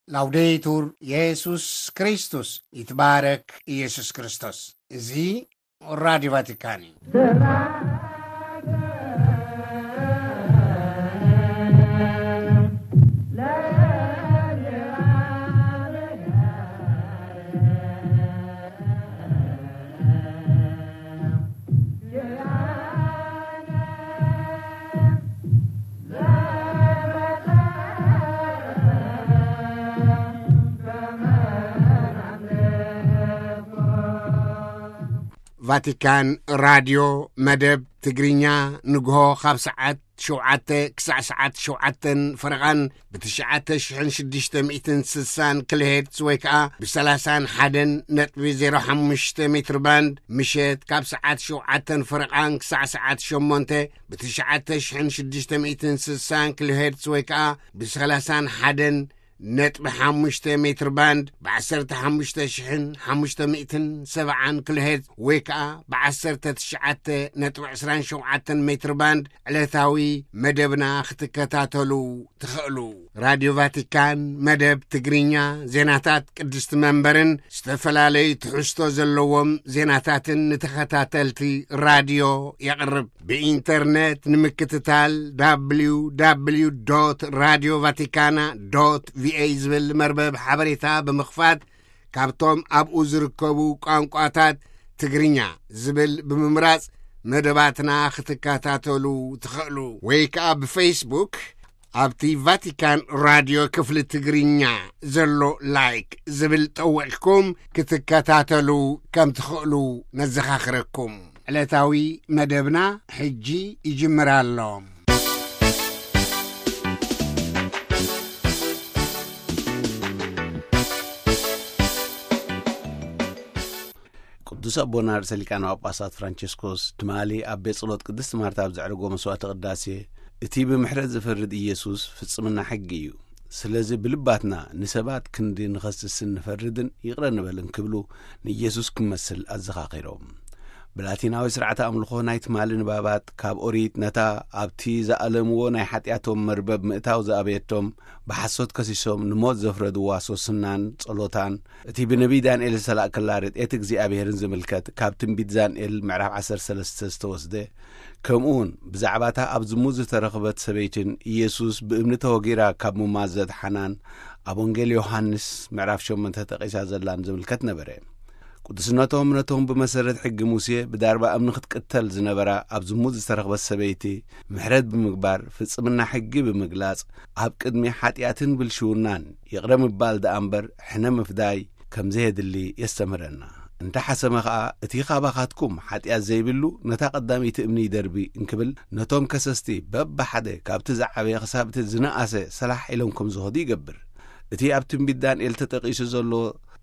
ላውዴቱር የሱስ ክርስቶስ፣ ይትባረክ ኢየሱስ ክርስቶስ። እዚ ራዲዮ ቫቲካን እዩ። ቫቲካን ራድዮ መደብ ትግርኛ ንግሆ ካብ ሰዓት ሸውዓተ ክሳዕ ሰዓት ሸውዓተን ፈረቓን ብትሽዓተ ሽሕን ሽዱሽተ ሚእትን ስሳን ኪሎሄርትዝ ወይ ከኣ ብሰላሳን ሓደን ነጥቢ ዜሮ ሓሙሽተ ሜትር ባንድ፣ ምሸት ካብ ሰዓት ሸውዓተን ፈረቓን ክሳዕ ሰዓት ሸሞንተ ብትሽዓተ ሽሕን ሽዱሽተ ሚእትን ስሳን ኪሎሄርትዝ ወይ ከኣ ብሰላሳን ሓደን ነጥቢ ሓሙሽተ ሜትር ባንድ፣ ብ ዓሰርተ ሓሙሽተ ሽሕን ሓሙሽተ ሚእትን ሰብዓን ኪሎሄርትዝ ወይ ከኣ ብ ዓሰርተ ትሽዓተ ነጥቢ ዕስራን ሸውዓተን ሜትር ባንድ ዕለታዊ መደብና ክትከታተሉ ትኽእሉ። ራድዮ ቫቲካን መደብ ትግርኛ፣ ዜናታት ቅድስቲ መንበርን ዝተፈላለዩ ትሕዝቶ ዘለዎም ዜናታትን ንተኸታተልቲ ራድዮ የቕርብ። ብኢንተርነት ንምክትታል፣ www radio vaticana ቪኦኤ ዝብል መርበብ ሓበሬታ ብምኽፋት፣ ካብቶም ኣብኡ ዝርከቡ ቋንቋታት ትግርኛ ዝብል ብምምራጽ መደባትና ክትከታተሉ ትኽእሉ። ወይ ከኣ ብፌስቡክ ኣብቲ ቫቲካን ራድዮ ክፍሊ ትግርኛ ዘሎ ላይክ ዝብል ጠዊቕኩም ክትከታተሉ ከም ትኽእሉ ነዘኻኽረኩም። ዕለታዊ መደብና ሕጂ ይጅምር ኣሎ። ቅዱስ ኣቦና ርእሰ ሊቃነ ጳጳሳት ፍራንቸስኮስ ትማሊ ኣብ ቤት ጸሎት ቅድስት ማርታ ኣብ ዘዕረጎ መስዋዕተ ቅዳሴ፣ እቲ ብምሕረት ዝፈርድ ኢየሱስ ፍጽምና ሕጊ እዩ። ስለዚ ብልባትና ንሰባት ክንዲ ንኸስስን ንፈርድን ይቕረ ንበልን ክብሉ ንኢየሱስ ክመስል ኣዘኻኺሮም። ብላቲናዊ ስርዓተ ኣምልኾ ናይ ትማሊ ንባባት ካብ ኦሪት ነታ ኣብቲ ዝኣለምዎ ናይ ሓጢኣቶም መርበብ ምእታው ዝኣበየቶም ብሓሶት ከሲሶም ንሞት ዘፍረድዋ ሶስናን ጸሎታን፣ እቲ ብነቢይ ዳንኤል ዝተላእከላ ርድኤት እግዚኣብሔርን ዝምልከት ካብ ትንቢት ዳንኤል ምዕራፍ ዓሰርተ ሰለስተ ዝተወስደ፣ ከምኡውን ብዛዕባታ ኣብ ዝሙት ዝተረኽበት ሰበይትን ኢየሱስ ብእምኒ ተወጊራ ካብ ምማት ዘድሓናን ኣብ ወንጌል ዮሃንስ ምዕራፍ ሸሞንተ ተጠቒሳ ዘላን ዝምልከት ነበረ። ቅዱስነቶም ነቶም ብመሰረት ሕጊ ሙሴ ብዳርባ እምኒ ክትቅተል ዝነበራ ኣብ ዝሙት ዝተረኽበት ሰበይቲ ምሕረት ብምግባር፣ ፍጽምና ሕጊ ብምግላጽ፣ ኣብ ቅድሚ ሓጢኣትን ብልሽውናን ይቕረ ምባል ደኣ እምበር ሕነ ምፍዳይ ከም ዘየድሊ የስተምህረና። እንተ ሓሰመ ኸኣ፣ እቲ ኻባኻትኩም ሓጢኣት ዘይብሉ ነታ ቀዳመይቲ እምኒ ይደርቢ እንክብል፣ ነቶም ከሰስቲ በብሓደ ካብቲ ዝዓበየ ክሳብ እቲ ዝነኣሰ ሰላሕ ኢሎም ከም ዝኸዱ ይገብር። እቲ ኣብ ትንቢት ዳንኤል ተጠቒሱ ዘሎ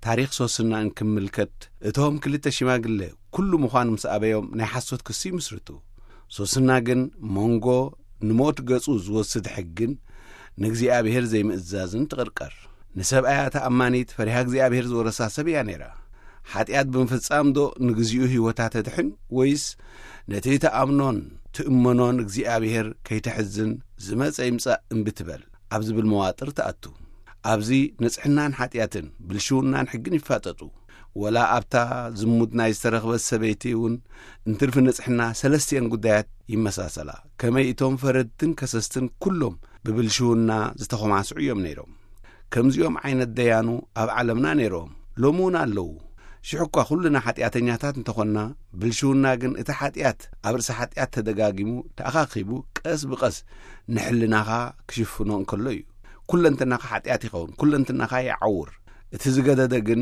ታሪኽ ሶስና እንክምልከት፣ እቶም ክልተ ሽማግለ ኩሉ ምዃኑ ምስ ኣበዮም ናይ ሓሶት ክሲ ይምስርቱ። ሶስና ግን መንጎ ንሞት ገጹ ዝወስድ ሕግን ንእግዚኣብሔር ዘይምእዛዝን ትቕርቀር። ንሰብኣያ ተኣማኒት ፈሪሃ እግዚኣብሔር ዝወረሳ ሰብ እያ ነይራ። ሓጢኣት ብምፍጻም ዶ ንግዚኡ ህይወታ ተድሕን፣ ወይስ ነቲ ተኣምኖን ትእመኖን እግዚኣብሔር ከይተሕዝን ዝመጸ ይምጻእ እምቢ ትበል ኣብ ዝብል መዋጥር ትኣቱ? ኣብዚ ንጽሕናን ሓጢኣትን ብልሽውናን ሕግን ይፋጠጡ። ወላ ኣብታ ዝሙት ናይ ዝተረኽበት ሰበይቲ እውን እንትርፊ ንጽሕና ሰለስቲኤን ጉዳያት ይመሳሰላ። ከመይ እቶም ፈረድትን ከሰስትን ኩሎም ብብልሽውና ዝተኾማስዑ እዮም ነይሮም። ከምዚኦም ዓይነት ደያኑ ኣብ ዓለምና ነይሮም፣ ሎሚ እውን ኣለዉ። ሽሕ እኳ ኩልና ሓጢኣተኛታት እንተኾንና፣ ብልሽውና ግን እቲ ሓጢኣት ኣብ ርእሲ ሓጢኣት ተደጋጊሙ፣ ተኣኻኺቡ፣ ቀስ ብቐስ ንሕልናኻ ክሽፍኖ እንከሎ እዩ። ኩለንትናኻ ሓጢኣት ይኸውን፣ ኩለንትናኻ ይዓውር። እቲ ዝገደደ ግን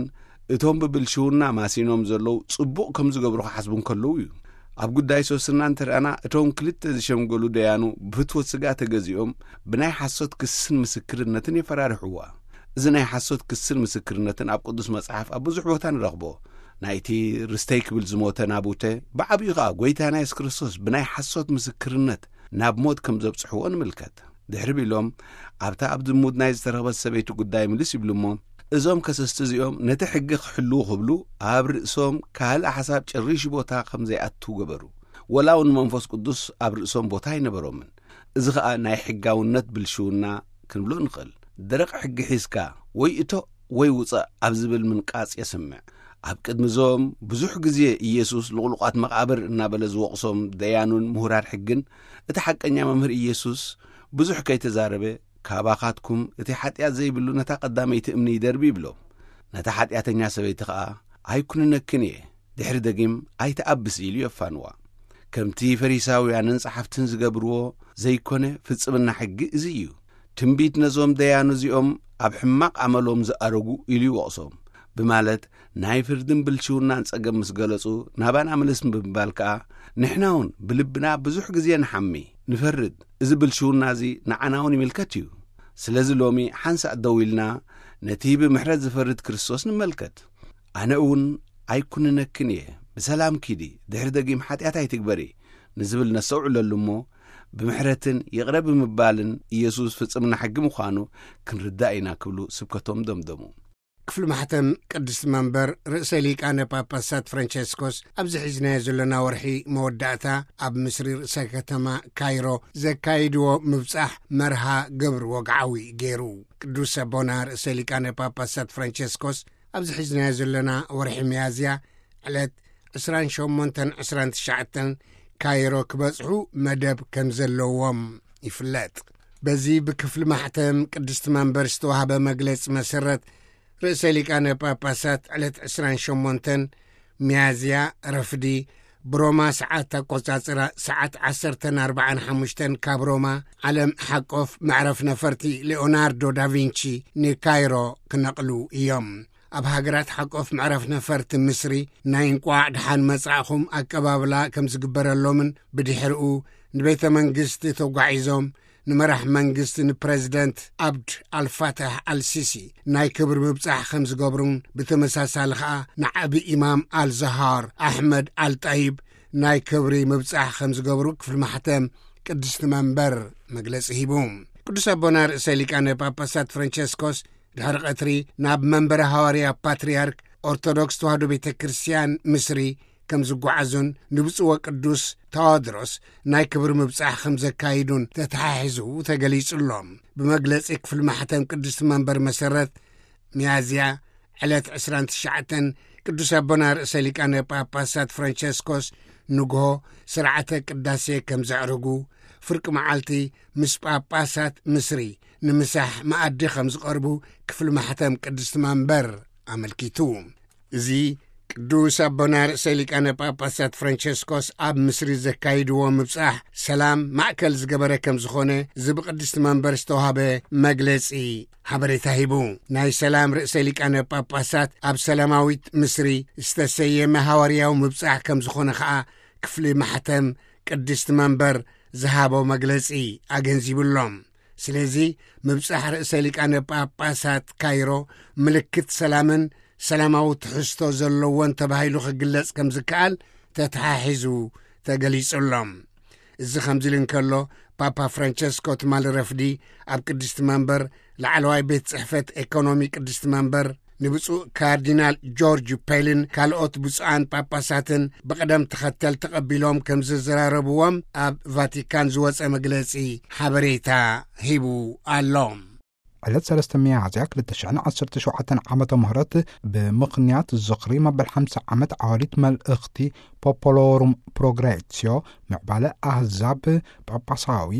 እቶም ብብልሽውና ማሲኖም ዘለዉ ጽቡቕ ከም ዝገብሩ ክሓስቡ እንከለዉ እዩ። ኣብ ጉዳይ ሶስና እንተርኣና፣ እቶም ክልተ ዝሸምገሉ ደያኑ ብፍትወት ስጋ ተገዚኦም ብናይ ሓሶት ክስን ምስክርነትን የፈራርሕዋ። እዚ ናይ ሓሶት ክስን ምስክርነትን ኣብ ቅዱስ መጽሓፍ ኣብ ብዙሕ ቦታ ንረኽቦ። ናይቲ ርስተይ ክብል ዝሞተ ናቡተ፣ ብዓብዩ ኸኣ ጐይታና የሱስ ክርስቶስ ብናይ ሓሶት ምስክርነት ናብ ሞት ከም ዘብጽሕዎ ንምልከት። ድሕሪ ቢሎም ኣብታ ኣብ ዝሙት ናይ ዝተረኽበት ሰበይቲ ጉዳይ ምልስ ይብሉ እሞ፣ እዞም ከሰስቲ እዚኦም ነቲ ሕጊ ክሕልዉ ክብሉ ኣብ ርእሶም ካልእ ሓሳብ ጨሪሹ ቦታ ከም ዘይኣቱ ገበሩ። ወላ እውን መንፈስ ቅዱስ ኣብ ርእሶም ቦታ ኣይነበሮምን። እዚ ኸኣ ናይ ሕጋውነት ብልሽውና ክንብሎ ንኽእል። ደረቕ ሕጊ ሒዝካ ወይ እቶ ወይ ውጻእ ኣብ ዝብል ምንቃጽ የስምዕ። ኣብ ቅድሚ እዞም ብዙሕ ግዜ ኢየሱስ ልቑሉቓት መቓብር እናበለ ዝወቕሶም ደያኑን ምሁራት ሕግን፣ እቲ ሓቀኛ መምህር ኢየሱስ ብዙሕ ከይተዛረበ፣ "ካባኻትኩም እቲ ሓጢኣት ዘይብሉ ነታ ቀዳመይቲ እምኒ ይደርቢ" ይብሎም። ነታ ሓጢኣተኛ ሰበይቲ ኸኣ፣ "ኣይኩንነክን እየ፣ ድሕሪ ደጊም ኣይትኣብስ" ኢሉ የፋንዋ። ከምቲ ፈሪሳውያንን ጸሓፍትን ዝገብርዎ ዘይኮነ፣ ፍጽምና ሕጊ እዚ እዩ። ትንቢት ነዞም ደያኑ እዚኦም ኣብ ሕማቕ ኣመሎም ዝኣረጉ ኢሉ ይወቕሶም ብማለት ናይ ፍርድን ብልሽውናን ጸገም ምስ ገለጹ፣ ናባና ምልስ ብምባል ከኣ፣ "ንሕና እውን ብልብና ብዙሕ ግዜ ንሓሚ፣ ንፈርድ፣ እዚ ብልሽውና እዚ ንዓና እውን ይምልከት እዩ። ስለዚ ሎሚ ሓንሳእ ደው ኢልና ነቲ ብምሕረት ዝፈርድ ክርስቶስ ንመልከት። ኣነ እውን ኣይኩንነክን እየ፣ ብሰላም ኪዲ፣ ድሕሪ ደጊም ሓጢኣት ኣይትግበሪ" ንዝብል ነስተውዕለሉ እሞ፣ ብምሕረትን ይቕረ ብምባልን ኢየሱስ ፍጽምና ሕጊ ምዃኑ ክንርዳእ ኢና ክብሉ ስብከቶም ደምደሙ። ክፍሊ ማሕተም ቅድስቲ መንበር ርእሰ ሊቃነ ጳጳሳት ፍራንቸስኮስ ኣብዚ ሒዝናዮ ዘለና ወርሒ መወዳእታ ኣብ ምስሪ ርእሰ ከተማ ካይሮ ዘካይድዎ ምብጻሕ መርሃ ግብሪ ወግዓዊ ገይሩ። ቅዱስ ኣቦና ርእሰ ሊቃነ ጳጳሳት ፍራንቸስኮስ ኣብዚ ሒዝናዮ ዘለና ወርሒ ሚያዝያ ዕለት ዕስራን ሸሞንተን ዕስራን ትሽዓተን ካይሮ ክበጽሑ መደብ ከም ዘለዎም ይፍለጥ። በዚ ብክፍሊ ማሕተም ቅድስቲ መንበር ዝተዋህበ መግለጺ መሰረት፣ ርእሰ ሊቃነ ጳጳሳት ዕለት ዕስራን ሸሞንተን ሚያዝያ ረፍዲ ብሮማ ሰዓት ኣቆጻጽራ ሰዓት ዓሰርተን ኣርባዓን ሓሙሽተን ካብ ሮማ ዓለም ሓቆፍ መዕረፍ ነፈርቲ ሌኦናርዶ ዳቪንቺ ንካይሮ ክነቕሉ እዮም። ኣብ ሃገራት ሓቆፍ መዕረፍ ነፈርቲ ምስሪ ናይ እንቋዕ ደሓን መጻእኹም ኣቀባብላ ከም ዝግበረሎምን ብድሕሪኡ ንቤተ መንግስቲ ተጓዒዞም ንመራሕ መንግስቲ ንፕረዚደንት ኣብድ ኣልፋታሕ ኣልሲሲ ናይ ክብሪ ምብጻሕ ከም ዝገብሩን ብተመሳሳሊ ኸኣ ንዓቢ ኢማም ኣልዛሃር ኣሕመድ ኣልጣይብ ናይ ክብሪ ምብጻሕ ከም ዝገብሩ ክፍሊ ማሕተም ቅድስቲ መንበር መግለጺ ሂቡ። ቅዱስ ኣቦና ርእሰ ሊቃነ ጳጳሳት ፍራንቸስኮስ ድሕሪ ቀትሪ ናብ መንበረ ሃዋርያ ፓትርያርክ ኦርቶዶክስ ተዋህዶ ቤተ ክርስቲያን ምስሪ ከም ዝጓዓዙን ንብፁዕ ወቅዱስ ተዋድሮስ ናይ ክብሪ ምብጻሕ ከም ዘካይዱን ተተሓሒዙ ተገሊጹ ኣሎ። ብመግለጺ ክፍሊ ማሕተም ቅድስቲ መንበር መሰረት፣ ሚያዝያ ዕለት ዕስራን ትሽዓተን ቅዱስ ኣቦና ርእሰ ሊቃነ ጳጳሳት ፍራንቸስኮስ ንግሆ ስርዓተ ቅዳሴ ከም ዘዕርጉ፣ ፍርቂ መዓልቲ ምስ ጳጳሳት ምስሪ ንምሳሕ መኣዲ ከም ዝቐርቡ ክፍሊ ማሕተም ቅድስቲ መንበር ኣመልኪቱ። እዚ ቅዱስ ኣቦና ርእሰ ሊቃነ ጳጳሳት ፍራንቸስኮስ ኣብ ምስሪ ዘካይድዎ ምብጻሕ ሰላም ማእከል ዝገበረ ከም ዝኾነ እዚ ብቅድስቲ መንበር ዝተዋህበ መግለጺ ሓበሬታ ሂቡ። ናይ ሰላም ርእሰ ሊቃነ ጳጳሳት ኣብ ሰላማዊት ምስሪ ዝተሰየመ ሃዋርያዊ ምብጻሕ ከም ዝኾነ ኸኣ ክፍሊ ማሕተም ቅድስቲ መንበር ዝሃቦ መግለጺ ኣገንዚቡ ኣሎ። ስለዚ ምብጻሕ ርእሰ ሊቃነ ጳጳሳት ካይሮ ምልክት ሰላምን ሰላማዊ ትሕዝቶ ዘለዎን ተባሂሉ ክግለጽ ከም ዝከኣል ተተሓሒዙ ተገሊጹ ኣሎ። እዚ ከምዚ ኢሉ እንከሎ፣ ፓፓ ፍራንቸስኮ ትማሊ ረፍዲ ኣብ ቅድስቲ መንበር ላዕለዋይ ቤት ጽሕፈት ኤኮኖሚ ቅድስቲ መንበር ንብፁዕ ካርዲናል ጆርጅ ፔልን ካልኦት ብፁዓን ጳጳሳትን ብቕደም ተኸተል ተቐቢሎም ከም ዘዘራረብዎም ኣብ ቫቲካን ዝወጸ መግለጺ ሓበሬታ ሂቡ ኣሎ። ዕለት ሰለስተ ሚያዝያ ክልተ ሽሕን ዓሰርተ ሸውዓተን ዓመተ ምህረት ብምኽንያት ዝኽሪ መበል ሓምሳ ዓመት ዓዋዲት መልእኽቲ ፖፖሎሩም ፕሮግሬሲዮ ምዕባለ ኣህዛብ ጳጳሳዊ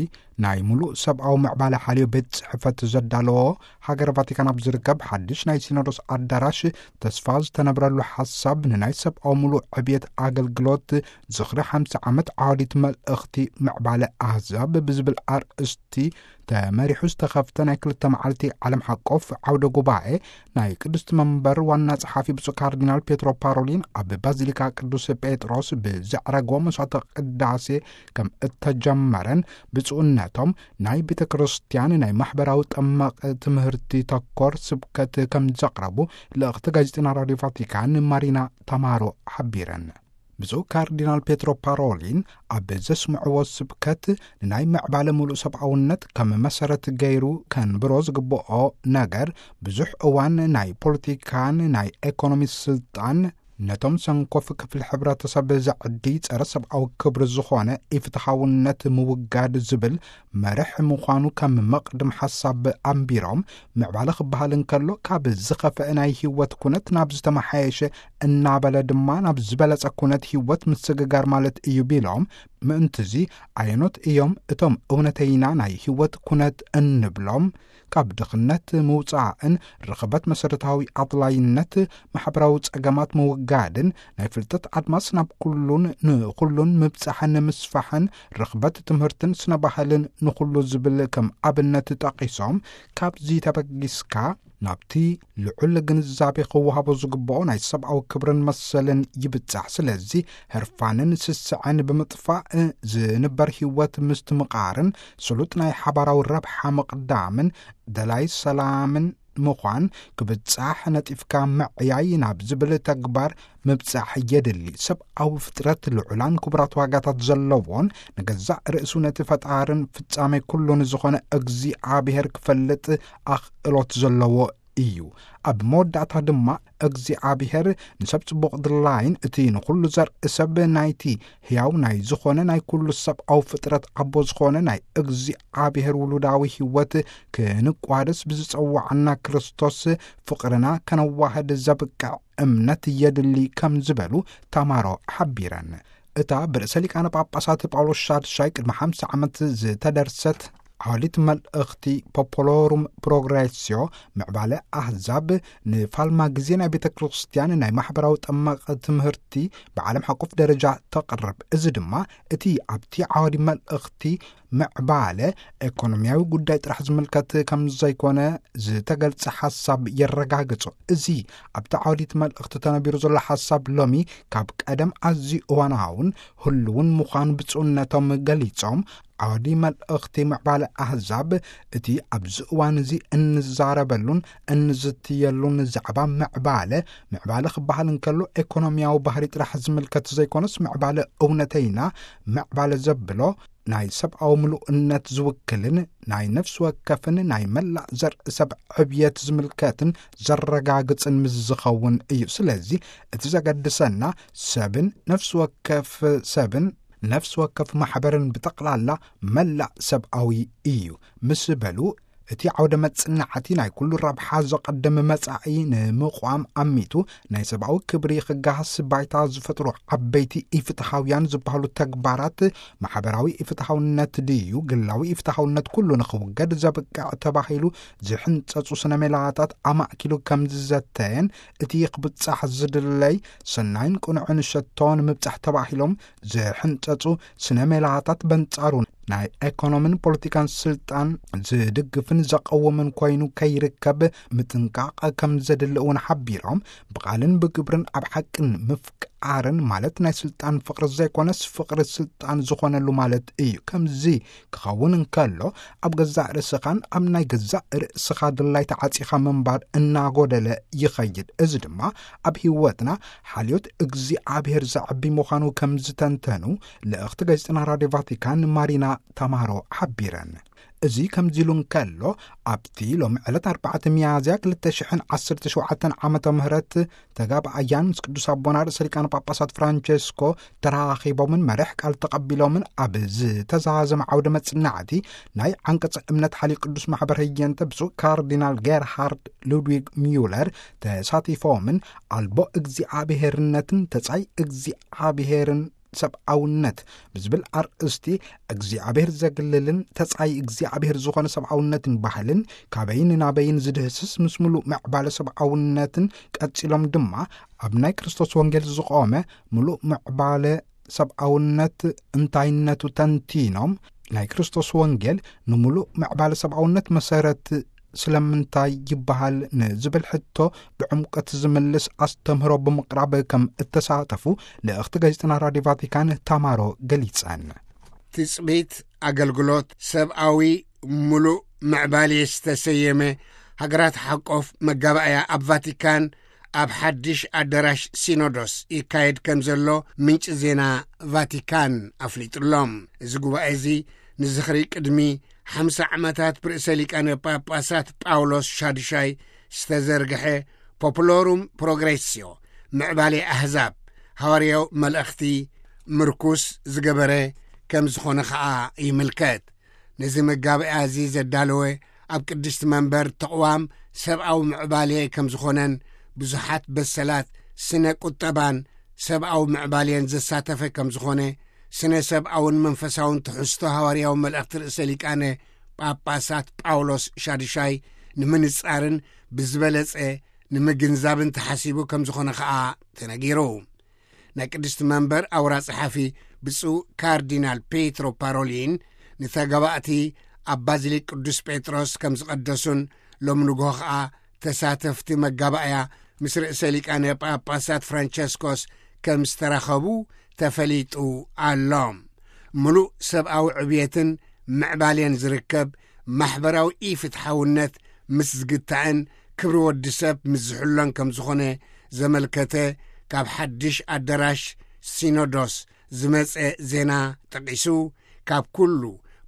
ናይ ሙሉእ ሰብኣዊ ምዕባለ ሓልዮ ቤት ጽሕፈት ዘዳለዎ ሃገር ቫቲካን ኣብ ዝርከብ ሓድሽ ናይ ሲኖዶስ ኣዳራሽ ተስፋ ዝተነብረሉ ሓሳብ ንናይ ሰብኣዊ ሙሉእ ዕብየት ኣገልግሎት ዝኽሪ ሓምሳ ዓመት ዓዋዲት መልእኽቲ ምዕባለ ኣህዛብ ብዝብል ኣርእስቲ ተመሪሑ ዝተኸፍተ ናይ ክልተ መዓልቲ ዓለም ሓቆፍ ዓውደ ጉባኤ ናይ ቅድስቲ መንበር ዋና ጸሓፊ ብፁዕ ካርዲናል ፔትሮ ፓሮሊን ኣብ ባዚሊካ ቅዱስ ጴጥሮስ ብዘዕረግዎ መስዋዕተ ቅዳሴ ከም እተጀመረን ብፁዕነቶም ናይ ቤተ ክርስቲያን ናይ ማሕበራዊ ጠመቕ ትምህርቲ ተኮር ስብከት ከም ዘቕረቡ ልእኽቲ ጋዜጠና ራዲዮ ቫቲካን ማሪና ታማሮ ሓቢረን። ብፁዕ ካርዲናል ፔትሮ ፓሮሊን ኣብ ዘስምዕዎ ስብከት ንናይ ምዕባለ ሙሉእ ሰብኣውነት ከም መሰረት ገይሩ ከንብሮ ዝግብኦ ነገር ብዙሕ እዋን ናይ ፖለቲካን ናይ ኤኮኖሚ ስልጣን ነቶም ሰንኮፍ ክፍሊ ሕብረተሰብ ዘዕዲ ጸረ ሰብኣዊ ክብሪ ዝኾነ ኢፍትሓውነት ምውጋድ ዝብል መርሕ ምዃኑ ከም መቕድም ሓሳብ ኣንቢሮም፣ ምዕባለ ክበሃል እንከሎ ካብ ዝኸፍአ ናይ ህይወት ኩነት ናብ ዝተመሓየሸ እናበለ ድማ ናብ ዝበለጸ ኩነት ህይወት ምስግጋር ማለት እዩ ቢሎም፣ ምእንትዚ ኣየኖት እዮም እቶም እውነተይና ናይ ህይወት ኩነት እንብሎም? ካብ ድኽነት ምውጻእን ርኽበት መሰረታዊ ኣድላይነት ማሕበራዊ ጸገማት ምውጋድን ናይ ፍልጠት ኣድማስ ናብ ኩሉን ንኹሉን ምብጻሕን ምስፋሕን ርኽበት ትምህርትን ስነ ባህልን ንኹሉ ዝብል ከም ኣብነት ጠቒሶም፣ ካብዚ ተበጊስካ ናብቲ ልዑል ግንዛቤ ክወሃቦ ዝግብኦ ናይ ሰብኣዊ ክብርን መሰልን ይብጻሕ። ስለዚ ህርፋንን ስስዐን ብምጥፋእ ዝንበር ህይወት ምስትምቓርን ስሉጥ ናይ ሓባራዊ ረብሓ ምቕዳምን ደላይ ሰላምን ምዃን ክብጻሕ ነጢፍካ ምዕያይ ናብ ዝብል ተግባር ምብጻሕ የድሊ። ሰብኣዊ ፍጥረት ልዑላን ክቡራት ዋጋታት ዘለዎን ንገዛእ ርእሱ ነቲ ፈጣርን ፍጻሜ ኩሉን ዝኾነ እግዚኣብሔር ክፈልጥ ኣኽእሎት ዘለዎ እዩ። ኣብ መወዳእታ ድማ እግዚኣብሔር ንሰብ ጽቡቕ ድላይን እቲ ንኹሉ ዘርኢ ሰብ ናይቲ ሕያው ናይ ዝኾነ ናይ ኩሉ ሰብኣዊ ፍጥረት ኣቦ ዝኾነ ናይ እግዚኣብሔር ውሉዳዊ ህይወት ክንቋደስ ብዝጸዋዓና ክርስቶስ ፍቕርና ከነዋህድ ዘብቅዕ እምነት የድሊ ከም ዝበሉ ታማሮ ሓቢረን። እታ ብርእሰ ሊቃነ ጳጳሳት ጳውሎስ ሻድሻይ ቅድሚ ሓምሳ ዓመት ዝተደርሰት ዓሊት መልእኽቲ ፖፖሎሩም ፕሮግሬስዮ ምዕባለ ኣህዛብ ንፋልማ ግዜ ናይ ቤተ ክርስቲያን ናይ ማሕበራዊ ጠመቕ ትምህርቲ ብዓለም ሓቆፍ ደረጃ ተቕርብ። እዚ ድማ እቲ ኣብቲ ዓዋዲ መልእኽቲ ምዕባለ ኤኮኖሚያዊ ጉዳይ ጥራሕ ዝምልከት ከም ዘይኮነ ዝተገልጸ ሓሳብ የረጋግጾ። እዚ ኣብቲ ዓውዲት መልእኽቲ ተነቢሩ ዘሎ ሓሳብ ሎሚ ካብ ቀደም ኣዝዩ እዋናውን ህልውን ምዃኑ ብፁዕነቶም ገሊጾም፣ ዓውዲ መልእኽቲ ምዕባለ ኣህዛብ እቲ ኣብዚ እዋን እዚ እንዛረበሉን እንዝትየሉን ዛዕባ ምዕባለ፣ ምዕባለ ክበሃል እንከሎ ኤኮኖሚያዊ ባህሪ ጥራሕ ዝምልከት ዘይኮነስ ምዕባለ እውነተይና ምዕባለ ዘብሎ ናይ ሰብኣዊ ምሉእነት ዝውክልን ናይ ነፍሲ ወከፍን ናይ መላእ ዘርኢ ሰብ ዕብየት ዝምልከትን ዘረጋግጽን ምስ ዝኸውን እዩ። ስለዚ እቲ ዘገድሰና ሰብን ነፍሲ ወከፍ ሰብን ነፍሲ ወከፍ ማሕበርን ብጠቕላላ መላእ ሰብኣዊ እዩ ምስ በሉ፣ እቲ ዓውደ መጽናዕቲ ናይ ኩሉ ረብሓ ዘቐድም መጻኢ ንምቋም ኣሚቱ ናይ ሰብኣዊ ክብሪ ክጋሃስ ባይታ ዝፈጥሩ ዓበይቲ ኢፍትሃውያን ዝበሃሉ ተግባራት፣ ማሕበራዊ ኢፍትሃውነት ድዩ ግላዊ ኢፍትሃውነት ኩሉ ንኽውገድ ዘብቅዕ ተባሂሉ ዝሕንጸጹ ስነ ሜላታት ኣማእኪሉ ከም ዝዘተየን፣ እቲ ክብጻሕ ዝድለይ ሰናይን ቅኑዕን ሸቶ ንምብጻሕ ተባሂሎም ዝሕንጸጹ ስነ ሜላታት በንጻሩ ናይ ኤኮኖምን ፖለቲካን ስልጣን ዝድግፍን ዘቐውምን ኮይኑ ከይርከብ ምጥንቃቕ ከም ዘድሊ እውን ሓቢሮም፣ ብቓልን ብግብርን ኣብ ሓቅን ምፍቃርን ማለት ናይ ስልጣን ፍቕሪ ዘይኮነስ ፍቕሪ ስልጣን ዝኾነሉ ማለት እዩ። ከምዚ ክኸውን እንከሎ ኣብ ገዛእ ርእስኻን ኣብ ናይ ገዛእ ርእስኻ ድላይ ተዓጺኻ ምንባር እናጎደለ ይኸይድ። እዚ ድማ ኣብ ህይወትና ሓልዮት እግዚኣብሔር ዘዕቢ ምዃኑ ከም ዝተንተኑ ልእኽቲ ጋዜጠና ራድዮ ቫቲካን ማሪና ታማሮ ሓቢረን። እዚ ከምዚ ኢሉ እንከሎ፣ ኣብቲ ሎሚ ዕለት ኣርባዕተ ሚያዝያ ክልተ ሽሕን ዓሰርተ ሸውዓተን ዓመተ ምህረት ተጋባኣያን ምስ ቅዱስ ኣቦና ርእሰ ሊቃነ ጳጳሳት ፍራንቸስኮ ተራኺቦምን መርሕ ቃል ተቐቢሎምን ኣብ ዝተዛዘመ ዓውደ መጽናዕቲ ናይ ዓንቀጸ እምነት ሓልዮ ቅዱስ ማሕበር ህየንተ ብፁዕ ካርዲናል ጌርሃርድ ሉድዊግ ሚዩለር ተሳቲፎምን ኣልቦ እግዚኣብሔርነትን ተጻይ እግዚኣብሔርን ሰብኣውነት ብዝብል ኣርእስቲ እግዚኣብሔር ዘግልልን ተጻይ እግዚኣብሔር ዝኾነ ሰብኣውነትን ባህልን ካበይን ናበይን ዝድህስስ ምስ ምሉእ ምዕባለ ሰብኣውነትን ቀጺሎም ድማ ኣብ ናይ ክርስቶስ ወንጌል ዝቖመ ምሉእ ምዕባለ ሰብኣውነት እንታይነቱ ተንቲኖም፣ ናይ ክርስቶስ ወንጌል ንምሉእ ምዕባለ ሰብኣውነት መሰረት ስለምንታይ ይበሃል ንዝብል ሕቶ ብዕምቀት ዝምልስ ኣስተምህሮ ብምቕራብ ከም እተሳተፉ ልእኽቲ ጋዜጠና ራድዮ ቫቲካን ታማሮ ገሊጸን። ትጽቢት ኣገልግሎት ሰብኣዊ ምሉእ ምዕባሌ ዝተሰየመ ሃገራት ሓቆፍ መጋባእያ ኣብ ቫቲካን ኣብ ሓድሽ ኣዳራሽ ሲኖዶስ ይካየድ ከም ዘሎ ምንጪ ዜና ቫቲካን ኣፍሊጡሎም። እዚ ጉባኤ እዚ ንዝኽሪ ቅድሚ ሓምሳ ዓመታት ብርእሰ ሊቃነ ጳጳሳት ጳውሎስ ሻድሻይ ዝተዘርግሐ ፖፑሎሩም ፕሮግሬስዮ ምዕባሌ ኣህዛብ ሃዋርያዊ መልእኽቲ ምርኩስ ዝገበረ ከም ዝኾነ ኸኣ ይምልከት። ነዚ መጋበያ እዚ ዘዳለወ ኣብ ቅድስቲ መንበር ተቕዋም ሰብኣዊ ምዕባሌ ከም ዝኾነን ብዙሓት በሰላት ስነ ቁጠባን ሰብኣዊ ምዕባሌን ዘሳተፈ ከም ዝኾነ ስነ ሰብኣውን መንፈሳውን ትሕዝቶ ሃዋርያዊ መልእኽቲ ርእሰ ሊቃነ ጳጳሳት ጳውሎስ ሻድሻይ ንምንጻርን ብዝበለጸ ንምግንዛብን ተሓሲቡ ከም ዝኾነ ኸኣ ተነጊሩ። ናይ ቅድስቲ መንበር ኣውራ ጸሓፊ ብፁዕ ካርዲናል ፔትሮ ፓሮሊን ንተጋባእቲ ኣብ ባዚሊክ ቅዱስ ጴጥሮስ ከም ዝቐደሱን ሎሚ ንግሆ ኸኣ ተሳተፍቲ መጋባእያ ምስ ርእሰ ሊቃነ ጳጳሳት ፍራንቸስኮስ ከም ዝተራኸቡ ተፈሊጡ ኣሎ። ምሉእ ሰብኣዊ ዕብየትን ምዕባሌን ዝርከብ ማሕበራዊ ኢፍትሓውነት ምስ ዝግታእን ክብሪ ወዲ ሰብ ምስ ዝሕሎን ከም ዝኾነ ዘመልከተ ካብ ሓድሽ ኣዳራሽ ሲኖዶስ ዝመጸ ዜና ጠቒሱ፣ ካብ ኩሉ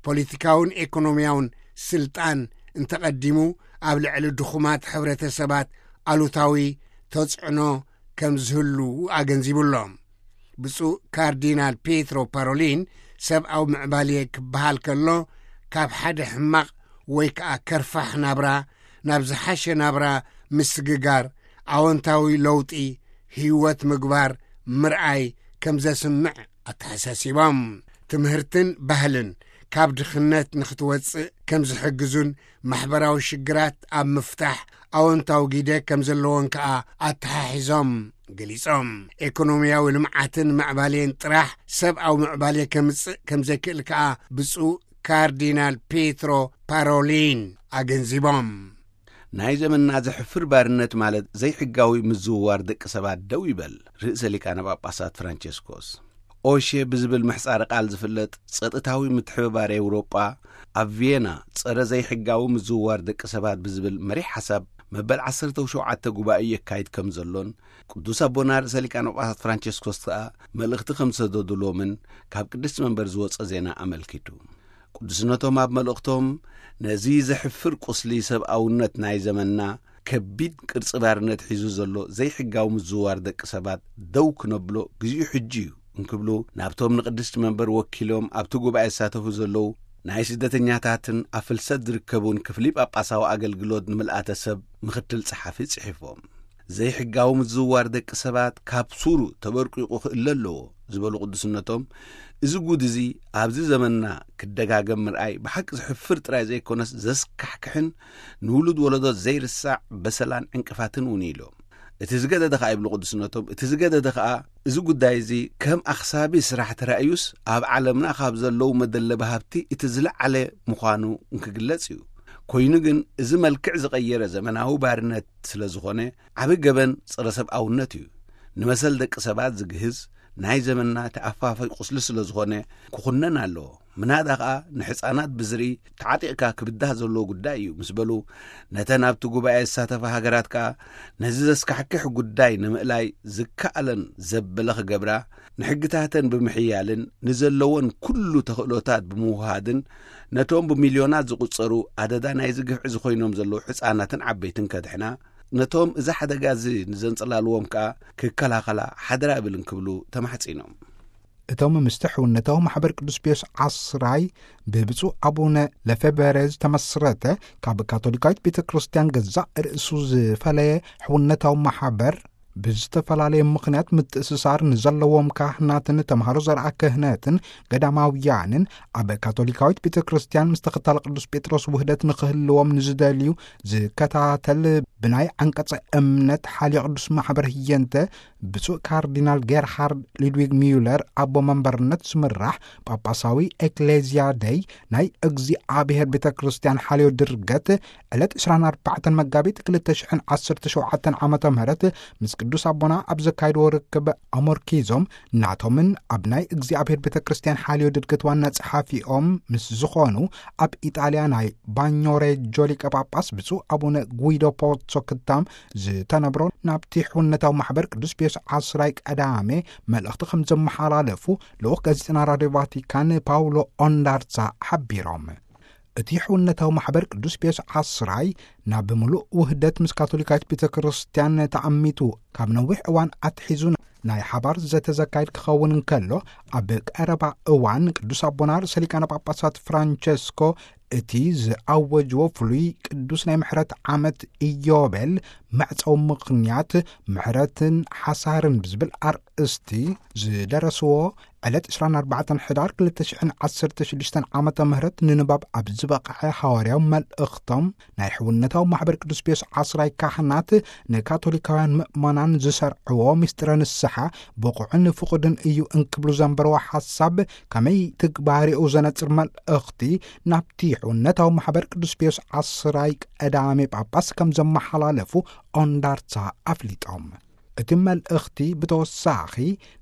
ፖለቲካውን ኤኮኖሚያውን ስልጣን እንተቐዲሙ ኣብ ልዕሊ ድኹማት ሕብረተሰባት ኣሉታዊ ተጽዕኖ ከም ዝህሉ ኣገንዚቡሎም። ብፁዕ ካርዲናል ፔትሮ ፓሮሊን ሰብኣዊ ምዕባሌ ክበሃል ከሎ ካብ ሓደ ሕማቕ ወይ ከኣ ከርፋሕ ናብራ ናብ ዝሓሸ ናብራ ምስግጋር ኣወንታዊ ለውጢ ህይወት ምግባር ምርኣይ ከም ዘስምዕ ኣተሓሳሲቦም። ትምህርትን ባህልን ካብ ድኽነት ንኽትወጽእ ከም ዝሕግዙን ማሕበራዊ ሽግራት ኣብ ምፍታሕ ኣወንታዊ ግደ ከም ዘለዎን ከኣ ኣተሓሒዞም ገሊጾም። ኤኮኖሚያዊ ልምዓትን ምዕባሌን ጥራሕ ሰብኣዊ ምዕባሌ ከምጽእ ከም ዘይክእል ከኣ ብፁዕ ካርዲናል ፔትሮ ፓሮሊን ኣገንዚቦም። ናይ ዘመንና ዘሕፍር ባርነት ማለት ዘይሕጋዊ ምዝውዋር ደቂ ሰባት ደው ይበል። ርእሰ ሊቃነ ጳጳሳት ፍራንቸስኮስ ኦሼ ብዝብል ምሕጻረ ቃል ዝፍለጥ ጸጥታዊ ምትሕብባር ኤውሮጳ ኣብ ቪየና ጸረ ዘይሕጋዊ ምዝውዋር ደቂ ሰባት ብዝብል መሪሕ ሓሳብ መበል ዓሰርተ ሸውዓተ ጉባኤ የካይድ ከም ዘሎን ቅዱስ ኣቦና ርእሰ ሊቃነ ጳጳሳት ፍራንቸስኮስ ከኣ መልእኽቲ ከም ዝሰደዱሎምን ካብ ቅድስቲ መንበር ዝወጸ ዜና ኣመልኪቱ። ቅዱስነቶም ኣብ መልእኽቶም ነዚ ዘሕፍር ቁስሊ ሰብኣውነት ናይ ዘመንና ከቢድ ቅርጺ ባርነት ሒዙ ዘሎ ዘይሕጋዊ ምዝውዋር ደቂ ሰባት ደው ክነብሎ ግዚኡ ሕጂ እዩ እንክብሉ ናብቶም ንቅድስቲ መንበር ወኪሎም ኣብቲ ጉባኤ ዝሳተፉ ዘለዉ ናይ ስደተኛታትን ኣብ ፍልሰት ዝርከቡን ክፍሊ ጳጳሳዊ ኣገልግሎት ንምልኣተ ሰብ ምኽትል ጸሓፊ ጽሒፎም። ዘይሕጋዊ ምዝውዋር ደቂ ሰባት ካብ ሱሩ ተበርቂቑ ክእለ ኣለዎ ዝበሉ ቅዱስነቶም፣ እዚ ጉድ እዚ ኣብዚ ዘመንና ክደጋገም ምርኣይ ብሓቂ ዘሕፍር ጥራይ ዘይኮነስ ዘስካሕክሕን ንውሉድ ወለዶ ዘይርሳዕ በሰላን ዕንቅፋትን እውን እዩ ኢሎም። እቲ ዝገደደ ኸኣ ይብሉ ቅዱስነቶም፣ እቲ ዝገደደ ኸኣ እዚ ጉዳይ እዚ ከም ኣኽሳቢ ስራሕ ተራእዩስ ኣብ ዓለምና ካብ ዘለዉ መደለቢ ሃብቲ እቲ ዝለዓለ ምዃኑ እንክግለጽ እዩ። ኮይኑ ግን እዚ መልክዕ ዝቐየረ ዘመናዊ ባርነት ስለ ዝኾነ ዓቢ ገበን ጸረ ሰብኣውነት እዩ። ንመሰል ደቂ ሰባት ዝግህዝ ናይ ዘመንና ተኣፋፋይ ቁስሊ ስለ ዝኾነ ክኹነን ኣለዎ። ምናዳ ኸኣ ንሕጻናት ብዝርኢ ተዓጢቕካ ክብዳህ ዘለዎ ጉዳይ እዩ ምስ በሉ፣ ነተን ኣብቲ ጉባኤ ዝሳተፋ ሃገራት ከኣ ነዚ ዘስካሕክሕ ጉዳይ ንምእላይ ዝከኣለን ዘበለ ክገብራ፣ ንሕግታተን ብምሕያልን ንዘለወን ኩሉ ተኽእሎታት ብምውሃድን ነቶም ብሚልዮናት ዝቑጸሩ ኣደዳ ናይዚ ግፍዒ ዝኾይኖም ዘለዉ ሕጻናትን ዓበይትን ከድሕና፣ ነቶም እዚ ሓደጋ እዚ ንዘንጸላልዎም ከኣ ክከላኸላ ሓደራ እብል እንክብሉ ተማሕጺኖም። እቶም ምስቲ ሕውነታዊ ማሕበር ቅዱስ ፒዮስ ዓስራይ ብብፁዕ ኣቡነ ለፌበረ ዝተመስረተ ካብ ካቶሊካዊት ቤተ ክርስቲያን ገዛእ ርእሱ ዝፈለየ ሕውነታዊ ማሕበር ብዝተፈላለየ ምኽንያት ምትእስሳር ንዘለዎም ካህናትን ተምሃሮ ዘርኣ ክህነትን ገዳማውያንን ኣብ ካቶሊካዊት ቤተ ክርስቲያን ምስ ተኸታሊ ቅዱስ ጴጥሮስ ውህደት ንኽህልዎም ንዝደልዩ ዝከታተል ብናይ ዓንቀጸ እምነት ሓልዮ ቅዱስ ማሕበር ህየንተ ብፁዕ ካርዲናል ጌርሃርድ ሉድዊግ ሚዩለር ኣቦ መንበርነት ዝምራሕ ጳጳሳዊ ኤክሌዝያ ደይ ናይ እግዚኣብሔር ቤተ ክርስቲያን ሓልዮ ድርገት ዕለት ዕስራን ኣርባዕተን መጋቢት ክልተ ሽሕን ዓሰርተ ሸውዓተን ዓመተ ምህረት ምስ ቅዱስ ኣቦና ኣብ ዘካይድዎ ርክብ ኣሞርኪዞም ናቶምን ኣብ ናይ እግዚኣብሔር ቤተ ክርስቲያን ሓልዮ ድርገት ዋና ጸሓፊኦም ምስ ዝኾኑ ኣብ ኢጣልያ ናይ ባኞሬጆ ሊቀ ጳጳስ ብፁዕ ኣቡነ ጉይዶ ፖትሶ ክታም ዝተነብሮ ናብቲ ሕውነታዊ ማሕበር ቅዱስ ፒዮስ ዓስራይ ቀዳሜ መልእኽቲ ከም ዘመሓላለፉ ልኡኽ ጋዜጠና ራድዮ ቫቲካን ፓውሎ ኦንዳርሳ ሓቢሮም። እቲ ሕውነታዊ ማሕበር ቅዱስ ፒዮስ ዓስራይ ናብ ምሉእ ውህደት ምስ ካቶሊካዊት ቤተ ክርስቲያን ተኣሚቱ ካብ ነዊሕ እዋን ኣትሒዙ ናይ ሓባር ዘተ ዘካይድ ክኸውን እንከሎ፣ ኣብ ቀረባ እዋን ቅዱስ ኣቦና ርእሰ ሊቃነ ጳጳሳት ፍራንቸስኮ እቲ ዝኣወጅዎ ፍሉይ ቅዱስ ናይ ምሕረት ዓመት ኢዮቤል መዕጸዊ ምኽንያት ምሕረትን ሓሳርን ብዝብል ኣርእስቲ ዝደረስዎ ዕለት ዕስራን ኣርባዕተን ሕዳር ክልተ ሽሕን ዓሰርተ ሽዱሽተን ዓመተ ምህረት ንንባብ ኣብ ዝበቕዐ ሃዋርያዊ መልእኽቶም፣ ናይ ሕውነታዊ ማሕበር ቅዱስ ፒዮስ ዓስራይ ካህናት ንካቶሊካውያን ምእመናን ዝሰርዕዎ ምስጢረ ንስሓ ብቑዕን ፍቑድን እዩ እንክብሉ ዘንበርዎ ሓሳብ ከመይ ትግባሬኡ ዘነጽር መልእኽቲ ናብቲ ሕውነታዊ ማሕበር ቅዱስ ፒዮስ ዓስራይ ቀዳሜ ጳጳስ ከም ዘመሓላለፉ ኦንዳርታ ኣፍሊጦም። እቲ መልእኽቲ ብተወሳኺ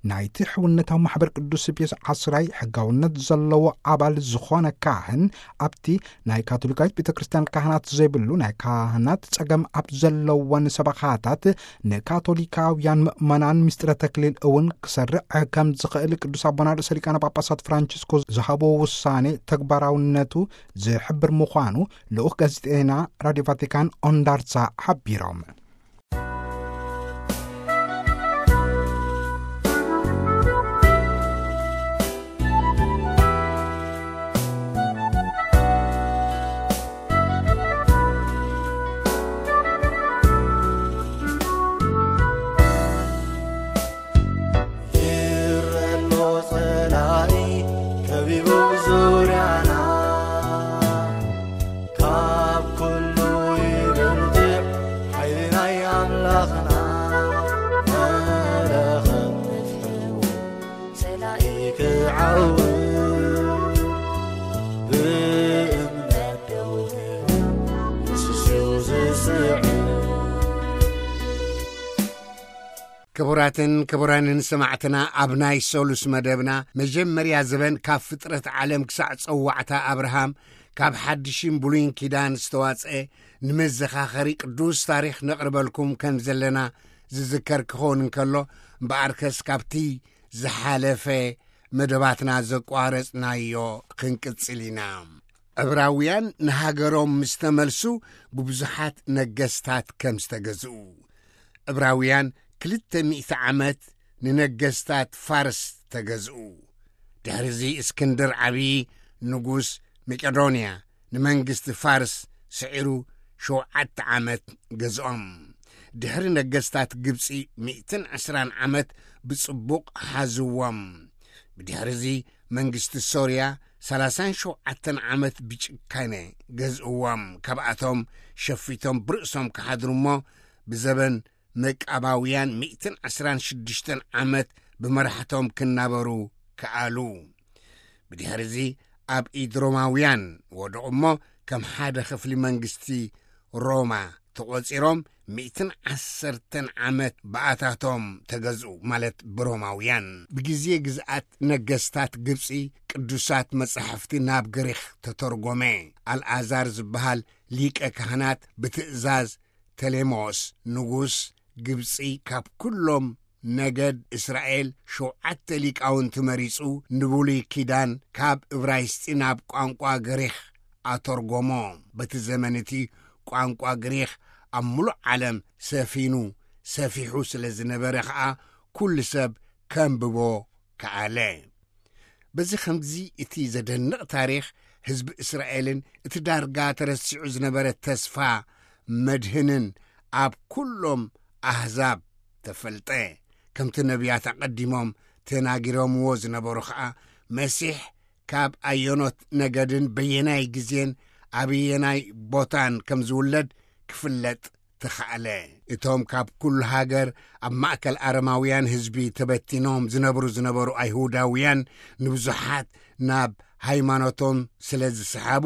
ናይቲ ሕውነታዊ ማሕበር ቅዱስ ፒዮስ ዓስራይ ሕጋውነት ዘለዎ ኣባል ዝኾነ ካህን ኣብቲ ናይ ካቶሊካዊት ቤተ ክርስቲያን ካህናት ዘይብሉ ናይ ካህናት ጸገም ኣብ ዘለወን ሰበኻታት ንካቶሊካውያን ምእመናን ምስጢረ ተክሊል እውን ክሰርዕ ከም ዝኽእል ቅዱስ ኣቦና ርእሰ ሊቃነ ጳጳሳት ፍራንቺስኮ ዝሃቦ ውሳኔ ተግባራውነቱ ዝሕብር ምዃኑ ልኡኽ ጋዜጠና ራድዮ ቫቲካን ኦንዳርሳ ሓቢሮም። ይረሎ ጸላኢ ከቢቡ ዙርያና፣ ካብ ኩሉ ይበልጽ ሓይሊ ናይ ኣምላኽና። መለኸት ንፍሕው ጸላኢ ክዓው ብእምነት ደው ንስሱ ዝስዕብ። ክቡራትን ክቡራንን ሰማዕትና፣ ኣብ ናይ ሰሉስ መደብና መጀመርያ ዘበን ካብ ፍጥረት ዓለም ክሳዕ ጸዋዕታ ኣብርሃም ካብ ሓድሽን ብሉይን ኪዳን ዝተዋጽአ ንመዘኻኸሪ ቅዱስ ታሪኽ ነቕርበልኩም ከም ዘለና ዝዝከር ክኸውን እንከሎ፣ እምበኣርከስ ካብቲ ዝሓለፈ መደባትና ዘቋረጽናዮ ክንቅጽል ኢና። ዕብራውያን ንሃገሮም ምስ ተመልሱ ብብዙሓት ነገስታት ከም ዝተገዝኡ። ዕብራውያን ክልተ ሚእቲ ዓመት ንነገስታት ፋርስ ተገዝኡ። ድሕሪዚ እስክንድር ዓብዪ ንጉስ መቄዶንያ ንመንግስቲ ፋርስ ስዒሩ ሸውዓተ ዓመት ገዝኦም። ድሕሪ ነገስታት ግብጺ ሚእትን ዕስራን ዓመት ብጽቡቕ ሓዝዎም። ብድሕሪዚ መንግስቲ ሶርያ ሰላሳን ሸውዓተን ዓመት ብጭካነ ገዝእዎም። ካብኣቶም ሸፊቶም ብርእሶም ክሓድሩ እሞ ብዘበን መቃባውያን ሚእትን ዕስራን ሽዱሽተን ዓመት ብመራሕቶም ክናበሩ ከኣሉ። ብድሕሪዚ ኣብ ኢድ ሮማውያን ወደቑ እሞ ከም ሓደ ክፍሊ መንግስቲ ሮማ ተቖጺሮም ሚእትን ዓሰርተን ዓመት ብኣታቶም ተገዝኡ፣ ማለት ብሮማውያን። ብግዜ ግዝኣት ነገስታት ግብጺ ቅዱሳት መጻሕፍቲ ናብ ግሪኽ ተተርጎመ። ኣልኣዛር ዝበሃል ሊቀ ካህናት ብትእዛዝ ተሌሞስ ንጉስ ግብጺ ካብ ኩሎም ነገድ እስራኤል ሸውዓተ ሊቃውንቲ መሪጹ ንብሉይ ኪዳን ካብ እብራይስጢ ናብ ቋንቋ ግሪኽ ኣተርጎሞ። በቲ ዘመን እቲ ቋንቋ ግሪኽ ኣብ ምሉእ ዓለም ሰፊኑ ሰፊሑ ስለ ዝነበረ ኸኣ ኩሉ ሰብ ከንብቦ ከኣለ። በዚ ኸምዚ እቲ ዘደንቕ ታሪኽ ህዝቢ እስራኤልን እቲ ዳርጋ ተረሲዑ ዝነበረ ተስፋ መድህንን ኣብ ኩሎም ኣህዛብ ተፈልጠ። ከምቲ ነቢያት ኣቐዲሞም ተናጊሮምዎ ዝነበሩ ኸኣ መሲሕ ካብ ኣየኖት ነገድን በየናይ ግዜን ኣበየናይ ቦታን ከም ዝውለድ ክፍለጥ ተኻእለ። እቶም ካብ ኩሉ ሃገር ኣብ ማእከል ኣረማውያን ህዝቢ ተበቲኖም ዝነብሩ ዝነበሩ ኣይሁዳውያን ንብዙሓት ናብ ሃይማኖቶም ስለ ዝሰሓቡ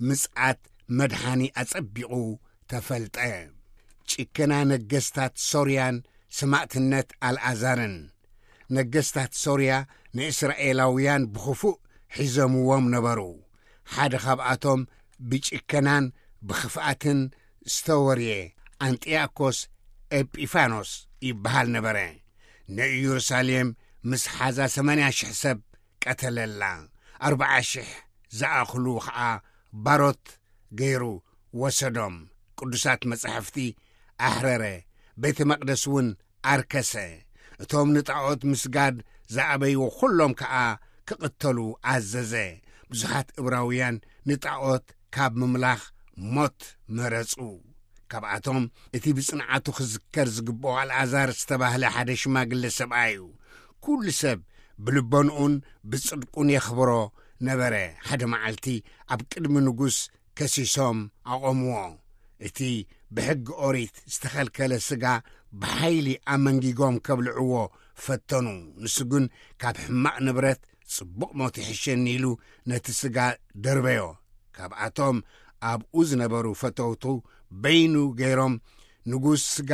ምጽኣት መድሓኒ ኣጸቢቑ ተፈልጠ። ጭከና ነገስታት ሶርያን ሰማእትነት ኣልኣዛርን። ነገስታት ሶርያ ንእስራኤላውያን ብኽፉእ ሒዞምዎም ነበሩ። ሓደ ካብኣቶም ብጭከናን ብኽፍኣትን ዝተወርየ ኣንጢያኮስ ኤጲፋኖስ ይበሃል ነበረ። ንኢየሩሳሌም ምስ ሓዛ ሰማንያ ሽሕ ሰብ ቀተለላ፣ ኣርብዓ ሽሕ ዝኣኽሉ ኸኣ ባሮት ገይሩ ወሰዶም። ቅዱሳት መጻሕፍቲ ኣሕረረ፣ ቤተ መቕደስ እውን ኣርከሰ። እቶም ንጣዖት ምስጋድ ዝኣበይዎ ኩሎም ከኣ ክቕተሉ ኣዘዘ። ብዙሓት እብራውያን ንጣዖት ካብ ምምላኽ ሞት መረጹ። ካብኣቶም እቲ ብጽንዓቱ ክዝከር ዝግብኦ ኣልኣዛር ዝተባህለ ሓደ ሽማግለ ሰብኣይ እዩ። ኩሉ ሰብ ብልቦንኡን ብጽድቁን የኽብሮ ነበረ። ሓደ መዓልቲ ኣብ ቅድሚ ንጉስ ከሲሶም ኣቖምዎ። እቲ ብሕጊ ኦሪት ዝተኸልከለ ስጋ ብሓይሊ ኣመንጊጎም ከብልዕዎ ፈተኑ። ንሱ ግን ካብ ሕማቕ ንብረት ጽቡቕ ሞት ይሕሸኒ ኢሉ ነቲ ስጋ ደርበዮ። ካብኣቶም ኣብኡ ዝነበሩ ፈተውቱ በይኑ ገይሮም፣ ንጉስ ስጋ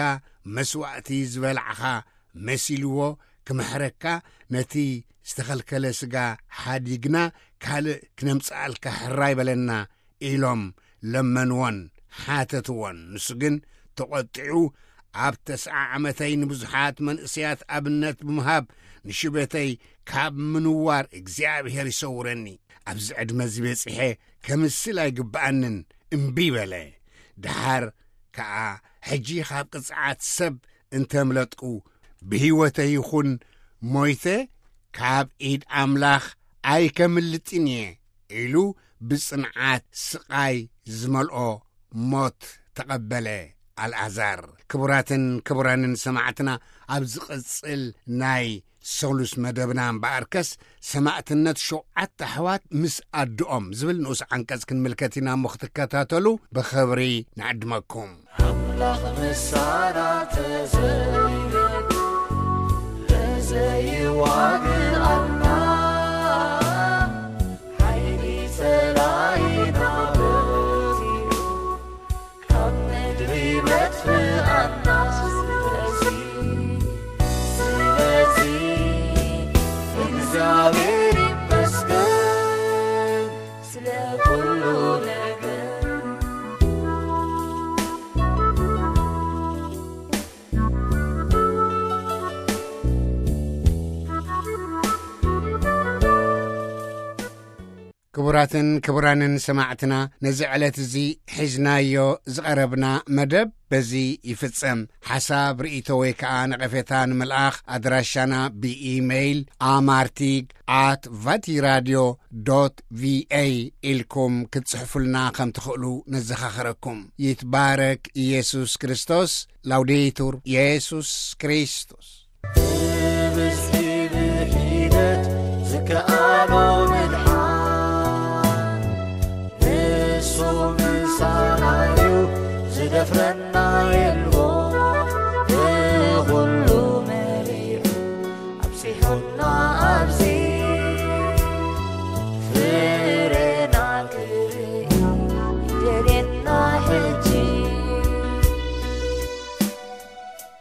መስዋእቲ ዝበላዕኻ መሲልዎ ክምሕረካ፣ ነቲ ዝተኸልከለ ስጋ ሓዲግና ካልእ ክነምጽኣልካ ሕራይ በለና ኢሎም ለመንዎን ሓተትዎን። ንሱ ግን ተቖጢዑ፣ ኣብ ተስዓ ዓመተይ ንብዙሓት መንእሰያት ኣብነት ብምሃብ ንሽበተይ ካብ ምንዋር እግዚኣብሔር ይሰውረኒ። ኣብዚ ዕድመ እዚ በጺሐ ከምስል ኣይግብኣንን፣ እምቢ በለ። ደሓር ከኣ ሕጂ ካብ ቅጽዓት ሰብ እንተምለጥኩ፣ ብህይወተይ ይኹን ሞይተ ካብ ኢድ ኣምላኽ ኣይከምልጥን እየ ኢሉ ብጽንዓት ስቓይ ዝመልኦ ሞት ተቐበለ ኣልኣዛር። ክቡራትን ክቡራንን ሰማዕትና፣ ኣብ ዝቕጽል ናይ ሰሉስ መደብና እምበኣርከስ፣ ሰማዕትነት ሸውዓተ ኣሕዋት ምስ ኣድኦም ዝብል ንኡስ ዓንቀጽ ክንምልከት ኢና እሞ ክትከታተሉ ብኽብሪ ንዕድመኩም። ኣምላኽ ምሳና ተዘይበሉ ለዘይዋግኣና፣ ሓይሊ ጸላኢና በዚሑ ካብ ምድሪ መጥፍኣና። ስለዚ፣ ስለዚ እግዚኣብሔር ይመስገን ስለ ኩሉ ነገር። ክቡራትን ክቡራንን ሰማዕትና፣ ነዚ ዕለት እዚ ሒዝናዮ ዝቐረብና መደብ በዚ ይፍጸም። ሓሳብ፣ ርእይቶ ወይ ከኣ ነቐፌታ ንምልኣኽ ኣድራሻና ብኢመይል ኣማርቲግ ኣት ቫቲራድዮ ዶት ቪኤ ኢልኩም ክትጽሕፉልና ከም ትኽእሉ ነዘኻኽረኩም። ይትባረክ ኢየሱስ ክርስቶስ። ላውዴቱር ኢየሱስ ክርስቶስ። ብብዝሒ ብሒደት ዝከኣሎ ምድሓን ንሱ ምሳና እዩ ዝደፍረና።